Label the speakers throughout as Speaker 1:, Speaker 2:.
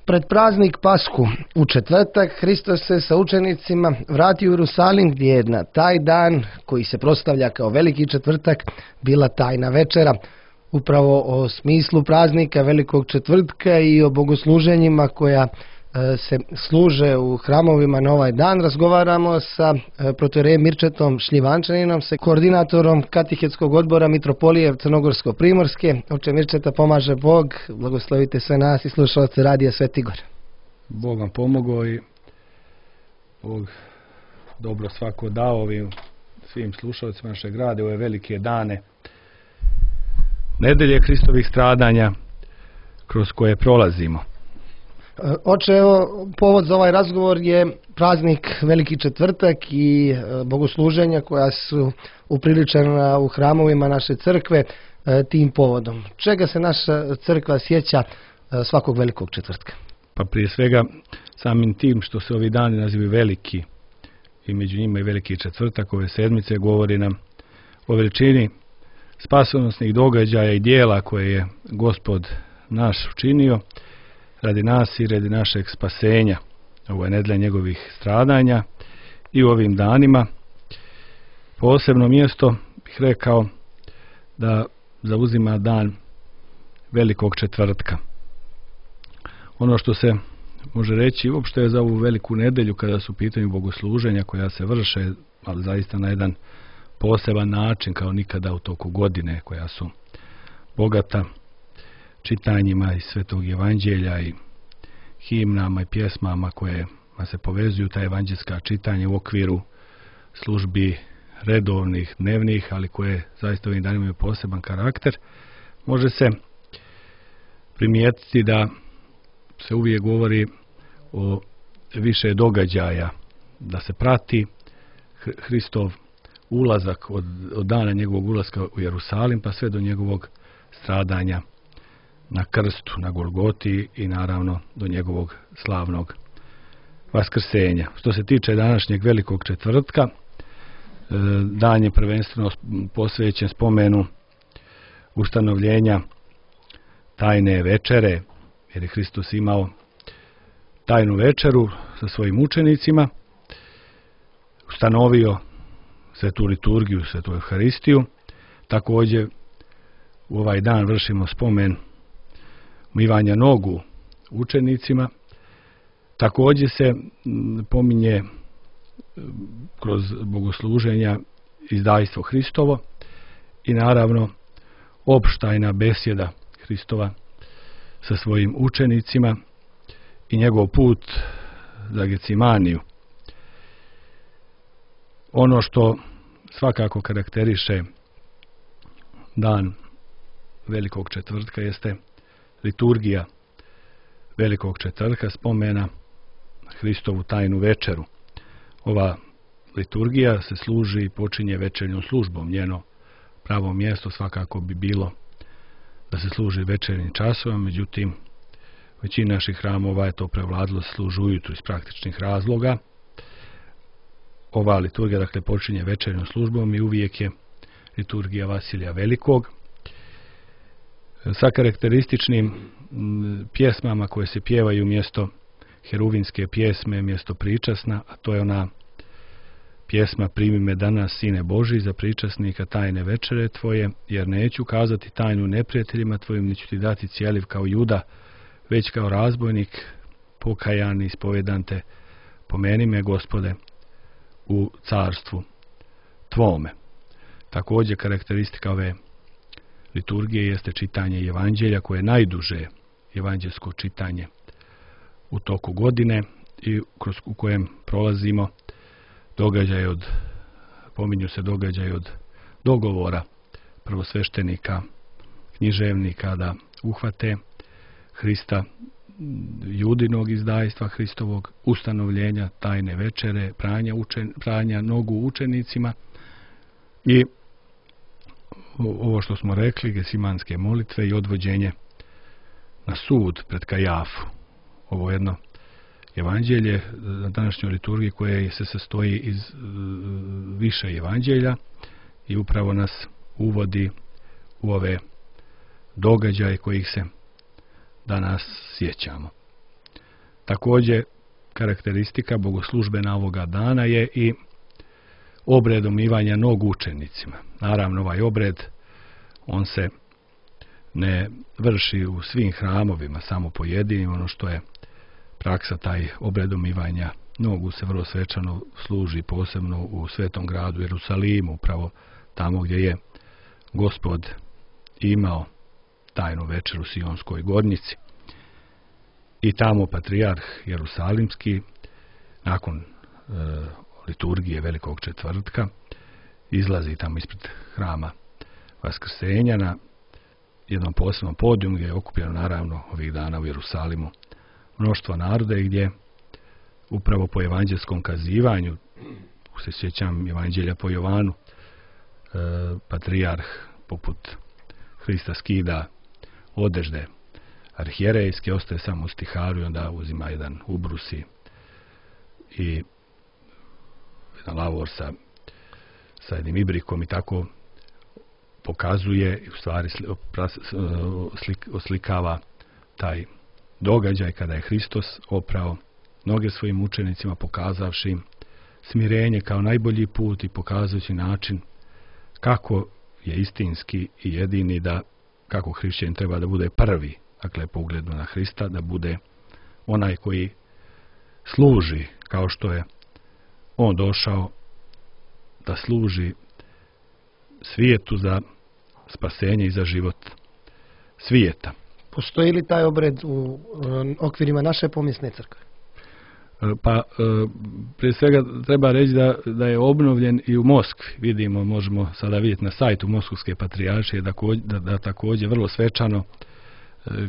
Speaker 1: Pred praznik Pashu u četvrtak Hristos se sa učenicima vratio u Jerusalim gdje je na taj dan koji se proslavlja kao veliki četvrtak bila tajna večera. Upravo o smislu praznika velikog četvrtka i o bogosluženjima koja se služe u hramovima na ovaj dan razgovaramo sa protoijerejem Mirčetom Šljivančaninom, sa koordinatorom katehetskog odbora Mitropolije Crnogorsko-Primorske. Oče Mirčeta, pomaže Bog, blagoslovite sve nas i slušalce Radija Sveti Gor.
Speaker 2: Bog vam pomogao i Bog dobro svako dao ovim svim slušalcima našeg rade ove velike dane nedelje Hristovih stradanja kroz koje prolazimo.
Speaker 1: Oče, evo, povod za ovaj razgovor je praznik Veliki četvrtak i bogosluženja koja su upriličena u hramovima naše crkve tim povodom. Čega se naša crkva sjeća svakog Velikog četvrtka?
Speaker 2: Pa prije svega samim tim što se ovi dani nazivaju veliki i među njima i Veliki četvrtak ove sedmice govori nam o veličini spasonosnih događaja i dijela koje je Gospod naš učinio radi nas i radi našeg spasenja. Ovo je nedelja njegovih stradanja i u ovim danima posebno mjesto bih rekao da zauzima dan Velikog četvrtka. Ono što se može reći uopšte je za ovu veliku nedelju kada su u pitanju bogosluženja koja se vrše, ali zaista na jedan poseban način kao nikada u toku godine, koja su bogata čitanjima iz Svetog Evanđelja i himnama i pjesmama koje se povezuju ta evanđelska čitanja u okviru službi redovnih, dnevnih, ali koje zaista ovim danima imaju poseban karakter. Može se primijetiti da se uvijek govori o više događaja, da se prati Hristov ulazak od dana njegovog ulaska u Jerusalim pa sve do njegovog stradanja na krstu, na Golgoti i naravno do njegovog slavnog vaskrsenja. Što se tiče današnjeg Velikog četvrtka, dan je prvenstveno posvećen spomenu ustanovljenja tajne večere, jer je Hristos imao tajnu večeru sa svojim učenicima, ustanovio svetu liturgiju, svetu Euharistiju. Također u ovaj dan vršimo spomen umivanja nogu učenicima. Također se pominje kroz bogosluženja izdajstvo Hristovo i naravno opštajna besjeda Hristova sa svojim učenicima i njegov put za Gecimaniju. Ono što svakako karakteriše dan Velikog četvrtka jeste liturgija Velikog četvrtka, spomena Hristovu tajnu večeru. Ova liturgija se služi i počinje večernjom službom. Njeno pravo mjesto svakako bi bilo da se služi večernjim časovima, međutim većina naših hramova je to prevladilo, služi ujutru iz praktičnih razloga. Ova liturgija dakle počinje večernjom službom i uvijek je liturgija Vasilija Velikog sa karakterističnim pjesmama koje se pjevaju mjesto heruvinske pjesme, mjesto pričasna, a to je ona pjesma Primi me danas, Sine Boži, za pričasnika tajne večere tvoje, jer neću kazati tajnu neprijateljima tvojim, neću ti dati cijeliv kao Juda, već kao razbojnik pokajan i ispovedan te, pomeni me, Gospode, u carstvu tvome. Također karakteristika ove liturgije jeste čitanje Evanđelja, koje je najduže evanđelsko čitanje u toku godine i u kojem prolazimo pominju se događaj od dogovora prvosveštenika, književnika da uhvate Hrista, judinog izdajstva Hristovog, ustanovljenja tajne večere, pranja nogu učenicima i ovo što smo rekli, gesimanske molitve i odvođenje na sud pred Kajafu. Ovo je jedno evanđelje na današnjoj liturgiji koje se sastoji iz više evanđelja i upravo nas uvodi u ove događaje kojih se danas sjećamo. Također, karakteristika bogoslužbena ovoga dana je i obred omivanja nogu učenicima. Naravno, ovaj obred, on se ne vrši u svim hramovima, samo pojedinim. Ono što je praksa, taj obred omivanja nogu se vrlo svečano služi posebno u svetom gradu Jerusalimu, upravo tamo gdje je Gospod imao tajnu večeru u Sionskoj gornjici. I tamo patrijarh Jerusalimski, nakon liturgije Velikog četvrtka, izlazi tamo ispred hrama Vaskrsenja na jednom posebnom podijum gdje je okupljeno naravno ovih dana u Jerusalimu mnoštvo naroda i gdje upravo po evanđelskom kazivanju, se sjećam evanđelja po Jovanu, patrijarh poput Hrista skida odežde arhijerejske, ostaje samo u stiharu i onda uzima jedan ubrus i jedan lavor sa jednim ibrikom i tako pokazuje i u stvari oslikava taj događaj kada je Hristos oprao noge svojim učenicima, pokazavši im smirenje kao najbolji put i pokazujući način kako je istinski i jedini, da kako hrišćanin treba da bude prvi, dakle po ugledu na Hrista, da bude onaj koji služi kao što je on došao da služi svijetu za spasenje i za život svijeta.
Speaker 1: Postoji li taj obred u okvirima naše pomjesne crkve?
Speaker 2: Pa prije svega treba reći da je obnovljen i u Moskvi. Vidimo, možemo sada vidjeti na sajtu Moskovske patrijaršije da također vrlo svečano,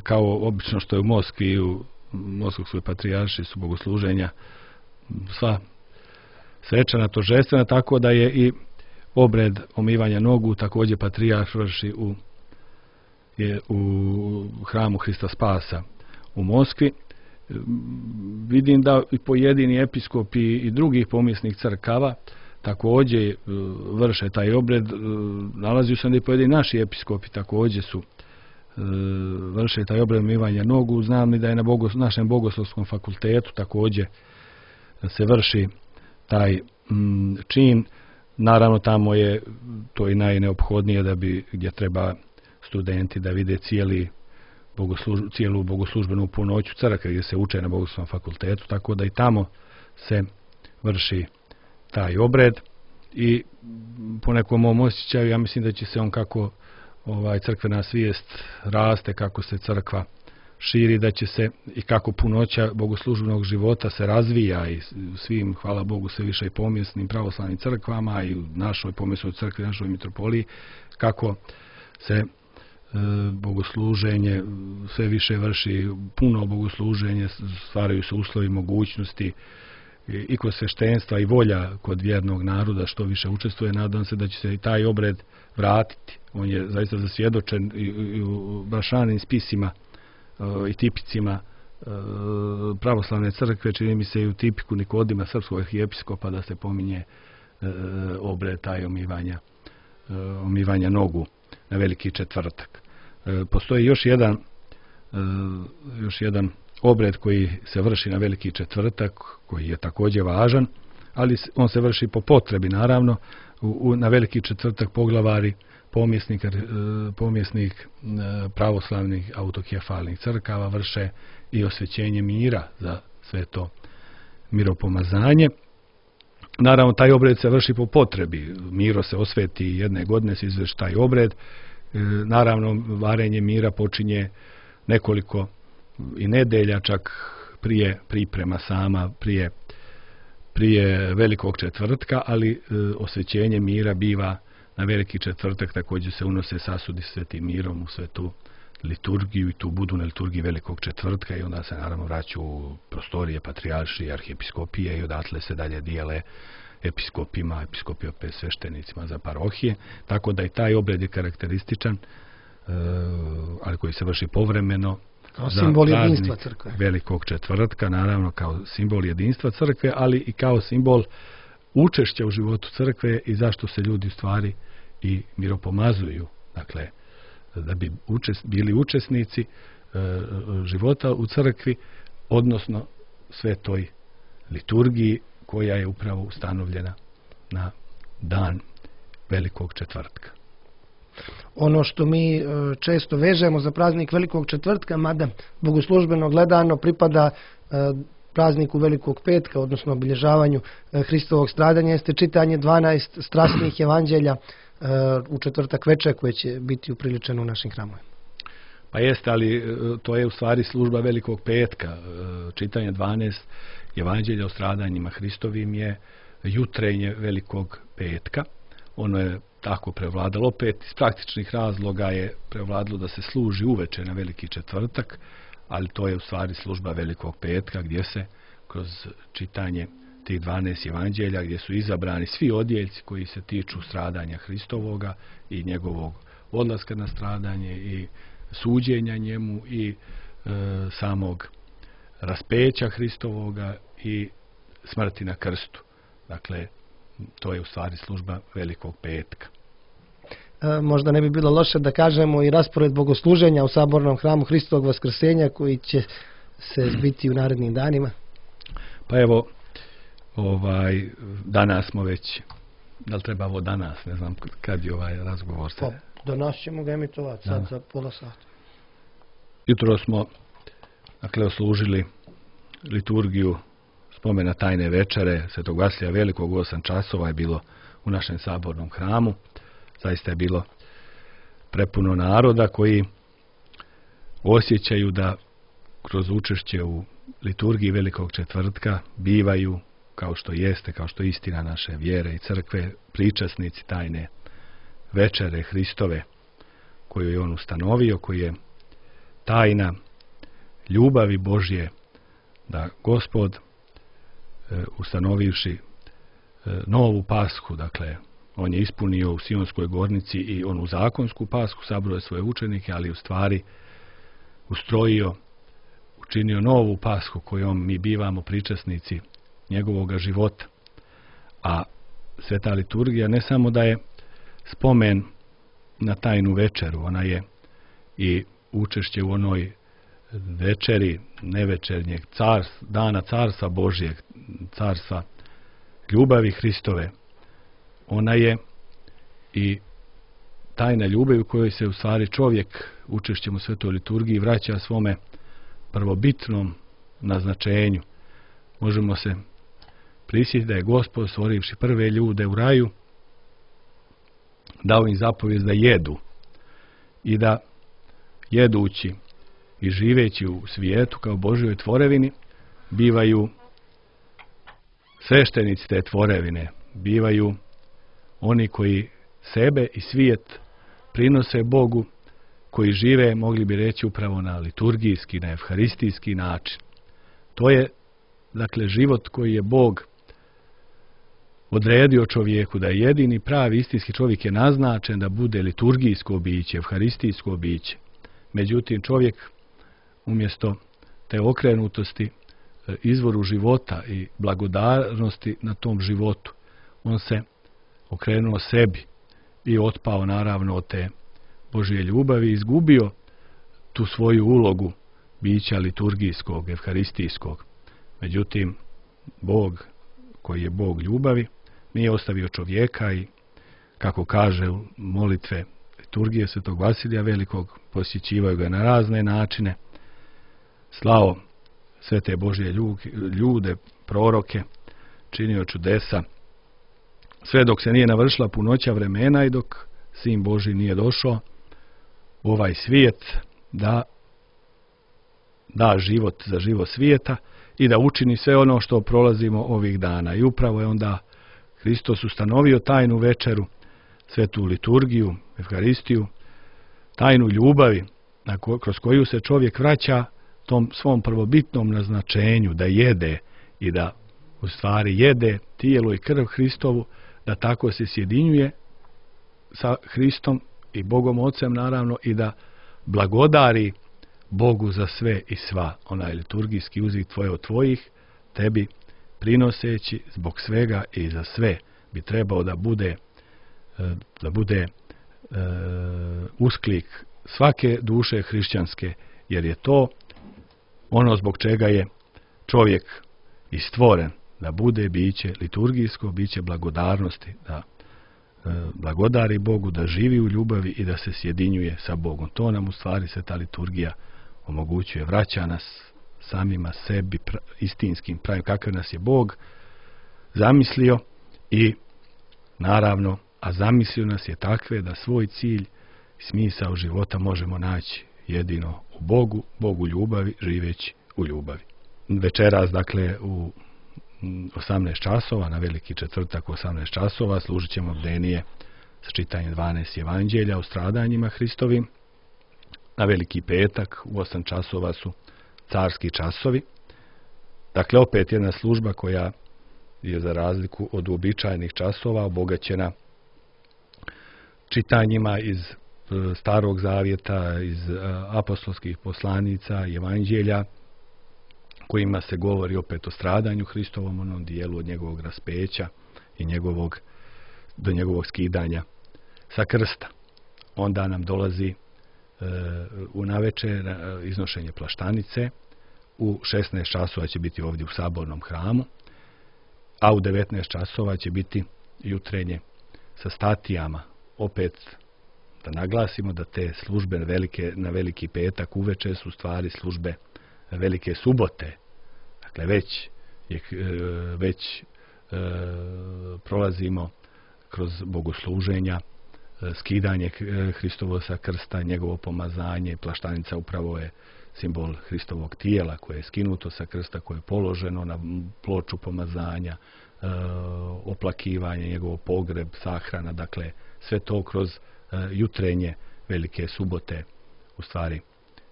Speaker 2: kao obično što je u Moskvi i u Moskovskoj patrijaršiji su bogosluženja sva svečana, tožestvena, tako da je i obred omivanja nogu također patrijarh vrši u hramu Hrista Spasa u Moskvi. Vidim da i pojedini episkopi i drugih pomjesnih crkava također vrše taj obred. Nalazio sam da i pojedini naši episkopi također su vrše taj obred omivanja nogu. Znam i da je na našem bogoslovskom fakultetu također se vrši taj čin. Naravno, tamo je to i najneophodnije gdje treba studenti da vide cijelu bogoslužbenu punoću crkve gdje se uče na bogoslovnom fakultetu, tako da i tamo se vrši taj obred i po nekom mom osjećaju, ja mislim da će se on kako crkvena svijest raste, kako se crkva širi, da će se i kako punoća bogoslužbenog života se razvija i svim, hvala Bogu, sve više i pomjesnim pravoslavnim crkvama i u našoj pomjesnoj crkvi, našoj mitropoliji, kako se bogosluženje sve više vrši, puno bogosluženje, stvaraju se uslovi, mogućnosti i kod sveštenstva i volja kod vjernog naroda što više učestvuje. Nadam se da će se i taj obred vratiti. On je zaista zasvjedočen i u brašanim spisima i tipicima pravoslavne crkve, čini mi se i u tipiku Nikodima, srpskog arhijepiskopa, da se pominje obred taj omivanja nogu na Veliki četvrtak. Postoji još jedan obred koji se vrši na Veliki četvrtak, koji je također važan, ali on se vrši po potrebi, naravno. Na Veliki četvrtak poglavari pomjesnik pravoslavnih autokefalnih crkava vrše i osvećenje mira za sve to miropomazanje. Naravno, taj obred se vrši po potrebi. Miro se osveti jedne godine, se izvrši taj obred. Naravno, varenje mira počinje nekoliko i nedelja, čak prije priprema sama, prije Velikog četvrtka, ali osvećenje mira biva na Veliki četvrtak, također se unose sasudi svetim mirom u svetu liturgiju i tu budu na liturgiji Velikog četvrtka i onda se naravno vraću u prostorije patrijaršije, arhijepiskopije i odatle se dalje dijele episkopima, episkopi opet sveštenicima za parohije, tako da i taj obred je karakterističan, ali koji se vrši povremeno
Speaker 1: kao simbol jedinstva crkve.
Speaker 2: Velikog četvrtka, naravno kao simbol jedinstva crkve, ali i kao simbol učešća u životu crkve i zašto se ljudi u stvari i miropomazuju. Dakle, da bi bili učesnici života u crkvi, odnosno svetoj liturgiji koja je upravo ustanovljena na dan Velikog četvrtka.
Speaker 1: Ono što mi često vežemo za praznik Velikog četvrtka, mada bogoslužbeno gledano pripada prazniku Velikog petka, odnosno obilježavanju Hristovog stradanja, jeste čitanje 12 strasnih evanđelja u četvrtak večer koje će biti upriličeno u našim hramovima.
Speaker 2: Pa jeste, ali to je u stvari služba Velikog petka. Čitanje 12 evanđelja o stradanjima Hristovim je jutrenje Velikog petka. Ono je tako prevladalo. Opet iz praktičnih razloga je prevladalo da se služi uveče na Veliki četvrtak, ali to je u stvari služba Velikog petka gdje se kroz čitanje tih 12 evanđelja, gdje su izabrani svi odjeljci koji se tiču stradanja Hristovoga i njegovog odlaska na stradanje i suđenja njemu i samog raspeća Hristovoga i smrti na krstu. Dakle, to je u stvari služba Velikog petka.
Speaker 1: Možda ne bi bilo loše da kažemo i raspored bogosluženja u sabornom hramu Hristovog vaskrsenja koji će se zbiti u narednim danima.
Speaker 2: Pa evo, danas smo već, da li treba ovo danas, ne znam kad je ovaj razgovor se...
Speaker 1: Pa, danas ćemo ga emitovati, sad za pola sata.
Speaker 2: Jutro smo, dakle, oslužili liturgiju spomena tajne večere Svetog Vasilija Velikog, u 8 časova je bilo u našem sabornom hramu. Zaista je bilo prepuno naroda koji osjećaju da kroz učešće u liturgiji Velikog četvrtka bivaju, kao što jeste, kao što je istina naše vjere i crkve, pričasnici tajne večere Hristove koju je on ustanovio, koji je tajna ljubavi Božje, da Gospod ustanovivši novu pashu, dakle, on je ispunio u Sionskoj gornici i onu zakonsku pashu, sabrao svoje učenike, ali u stvari ustrojio, učinio novu pashu kojom mi bivamo pričasnici njegovoga života. A sveta liturgija ne samo da je spomen na tajnu večeru, ona je i učešće u onoj večeri nevečernjeg dana carstva Božjeg, carstva ljubavi Hristove. Ona je i tajna ljubavi u kojoj se u stvari čovjek učešćem u svetoj liturgiji vraća svome prvobitnom naznačenju. Možemo se prisjetiti da je Gospod, stvorivši prve ljude u raju, dao im zapovijest da jedu i da jedući i živeći u svijetu kao Božjoj tvorevini bivaju sveštenici te tvorevine, bivaju oni koji sebe i svijet prinose Bogu, koji žive, mogli bi reći, upravo na liturgijski, na evharistijski način. To je, dakle, život koji je Bog odredio čovjeku, da je jedini pravi istinski čovjek je naznačen da bude liturgijsko biće, evharistijsko biće. Međutim, čovjek umjesto te okrenutosti izvoru života i blagodarnosti na tom životu, on se okrenuo sebi i otpao naravno od te Božje ljubavi, izgubio tu svoju ulogu bića liturgijskog, evharistijskog. Međutim, Bog, koji je Bog ljubavi, nije ostavio čovjeka i, kako kaže u molitve liturgije Svetog Vasilija Velikog, posjećivaju ga na razne načine, slao sve te Božje ljude, proroke, činio čudesa, sve dok se nije navršila punoća vremena i dok Sin Božji nije došao u ovaj svijet da život za život svijeta i da učini sve ono što prolazimo ovih dana. I upravo je onda Hristos ustanovio tajnu večeru, svetu liturgiju, evharistiju, tajnu ljubavi kroz koju se čovjek vraća tom svom prvobitnom naznačenju da jede i da u stvari jede tijelo i krv Hristovu, da tako se sjedinjuje sa Hristom i Bogom Ocem naravno i da blagodari Bogu za sve i sva. Onaj liturgijski uzvik tvoje od tvojih, tebi prinoseći zbog svega i za sve bi trebao da bude usklik svake duše hrišćanske, jer je to ono zbog čega je čovjek i stvoren da bude biće liturgijsko, biće blagodarnosti, da blagodari Bogu, da živi u ljubavi i da se sjedinjuje sa Bogom. To nam u stvari se ta liturgija omogućuje, vraća nas samima sebi istinskim pravim, kakav nas je Bog zamislio i naravno, a zamislio nas je takve da svoj cilj i smisao života možemo naći jedino u Bogu, Bogu ljubavi, živeći u ljubavi. Večeras, dakle, u 18 časova, na Veliki četvrtak u 18 časova, služit ćemo bdenije sa čitanjem 12 evanđelja o stradanjima Hristovim. Na Veliki petak u 8 časova su carski časovi. Dakle, opet jedna služba koja je za razliku od uobičajenih časova obogaćena čitanjima iz Starog zavjeta, iz apostolskih poslanica i evanđelja, kojima se govori opet o stradanju Hristovom, onom dijelu od njegovog raspeća i do njegovog skidanja sa krsta. Onda nam dolazi u navečer iznošenje plaštanice. U 16 časova će biti ovdje u Sabornom hramu, a u 19 časova će biti jutrenje sa statijama. Opet da naglasimo da te službe na Veliki petak uveče su stvari službe Velike subote. Dakle, već prolazimo kroz bogosluženja, skidanje Hristovo sa krsta, njegovo pomazanje. Plaštanica upravo je simbol Hristovog tijela koje je skinuto sa krsta, koje je položeno na ploču pomazanja, oplakivanje, njegov pogreb, sahrana. Dakle, sve to kroz jutrenje Velike subote u stvari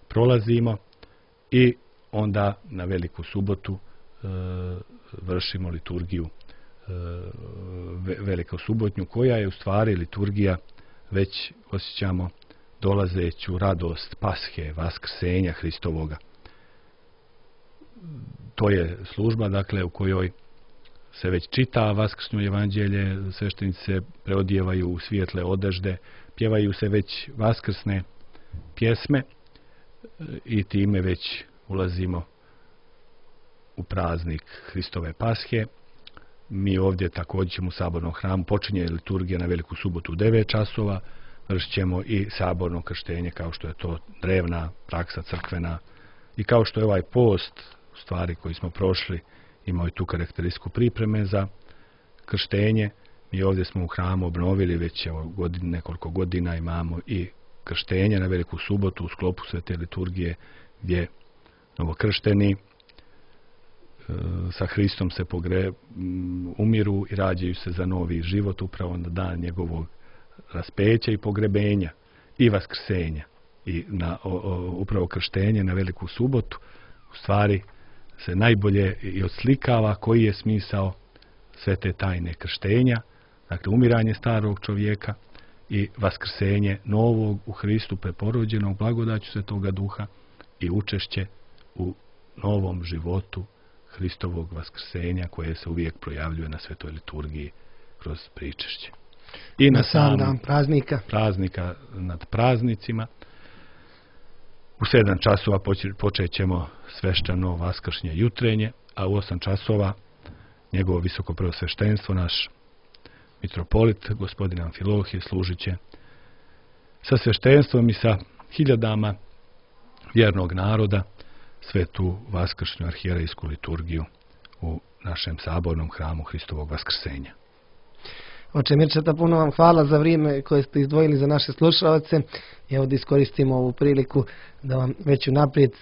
Speaker 2: prolazimo i onda na Veliku subotu vršimo liturgiju velikosubotnju, koja je u stvari liturgija, već osjećamo dolazeću radost Pashe, Vaskrsenja Hristovoga. To je služba, dakle, u kojoj se već čita Vaskršnjo evanđelje, sveštenici se preodijevaju u svijetle odežde, pjevaju se već vaskrsne pjesme i time već ulazimo u praznik Hristove Pashe. Mi ovdje također ćemo u Sabornom hramu, počinje liturgija na Veliku subotu u 9 časova, vršit ćemo i saborno krštenje, kao što je to drevna praksa crkvena i kao što je ovaj post, u stvari koji smo prošli, imao i tu karakteristiku pripreme za krštenje. Mi ovdje smo u hramu obnovili već nekoliko godina, imamo i krštenje na Veliku subotu u sklopu svete liturgije, gdje novokršteni sa Hristom se umiru i rađaju se za novi život upravo na dan njegovog raspeća i pogrebenja i vaskrsenja. I upravo krštenje na Veliku subotu u stvari se najbolje i odslikava koji je smisao sve te tajne krštenja, dakle umiranje starog čovjeka i vaskrsenje novog u Hristu preporođenog blagodaću Svetoga Duha i učešće u novom životu Hristovog vaskrsenja, koje se uvijek projavljuje na svetoj liturgiji kroz pričešće. I na sam dan praznika nad praznicima u 7 časova počet ćemo svešćano vaskršnje jutrenje, a u 8 časova njegovo visoko preosveštenstvo, naš mitropolit, gospodin Amfilohije, služit će sa sveštenstvom i sa hiljadama vjernog naroda svetu vaskršnju arhijerejsku liturgiju u našem Sabornom hramu Hristovog vaskrsenja.
Speaker 1: Oče Mirčeta, puno vam hvala za vrijeme koje ste izdvojili za naše slušalce. Evo da iskoristimo ovu priliku da vam već unaprijed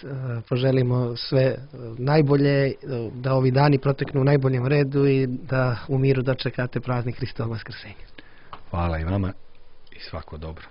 Speaker 1: poželimo sve najbolje, da ovi dani proteknu u najboljem redu i da u miru dočekate praznik Hristovog vaskrsenja.
Speaker 2: Hvala i vama i svako dobro.